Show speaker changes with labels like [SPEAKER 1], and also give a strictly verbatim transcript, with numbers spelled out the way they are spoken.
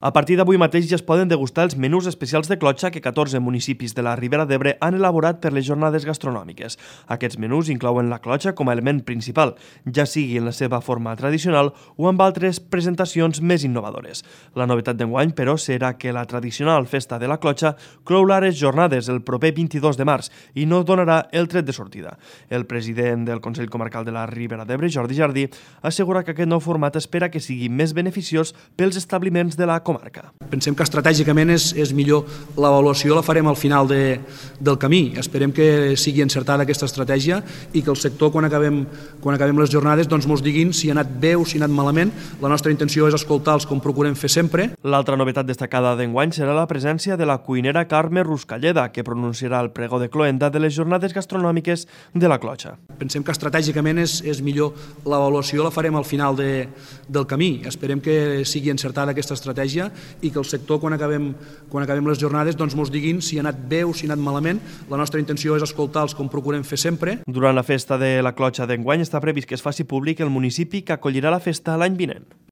[SPEAKER 1] A partir d'avui mateix ja es poden degustar els menús especials de clotxa que catorze municipis de la Ribera d'Ebre han elaborat per les jornades gastronòmiques. Aquests menús inclouen la clotxa com a element principal, ja sigui en la seva forma tradicional o amb altres presentacions més innovadores. La novetat d'enguany, però, serà que la tradicional festa de la clotxa clourà les jornades el proper vint-i-dos de març i no donarà el tret de sortida. El president del Consell Comarcal de la Ribera d'Ebre, Jordi Jardí, assegura que aquest nou format espera que sigui més beneficiós pels establiments de la comarca.
[SPEAKER 2] Pensem que estratègicament és, és millor, l'avaluació la farem al final de, del camí. Esperem que sigui encertada aquesta estratègia i que el sector, quan acabem, quan acabem les jornades, doncs mos diguin si ha anat bé o si ha anat malament. La nostra intenció és escoltar-los com procurem fer sempre.
[SPEAKER 1] L'altra novetat destacada d'enguany serà la presència de la cuinera Carme Ruscalleda, que pronunciarà el pregó de cloenda de les jornades gastronòmiques de la clotxa.
[SPEAKER 2] Pensem que estratègicament és, és millor, l'avaluació la farem al final de, del camí. Esperem que sigui encertada aquesta estratègia i que el sector, quan acabem, quan acabem les jornades, doncs mos diguin si ha anat bé o si ha anat malament. La nostra intenció és escoltar-los com procurem fer sempre.
[SPEAKER 1] Durant la festa de la clotxa d'enguany està previst que es faci públic el municipi que acollirà la festa l'any vinent.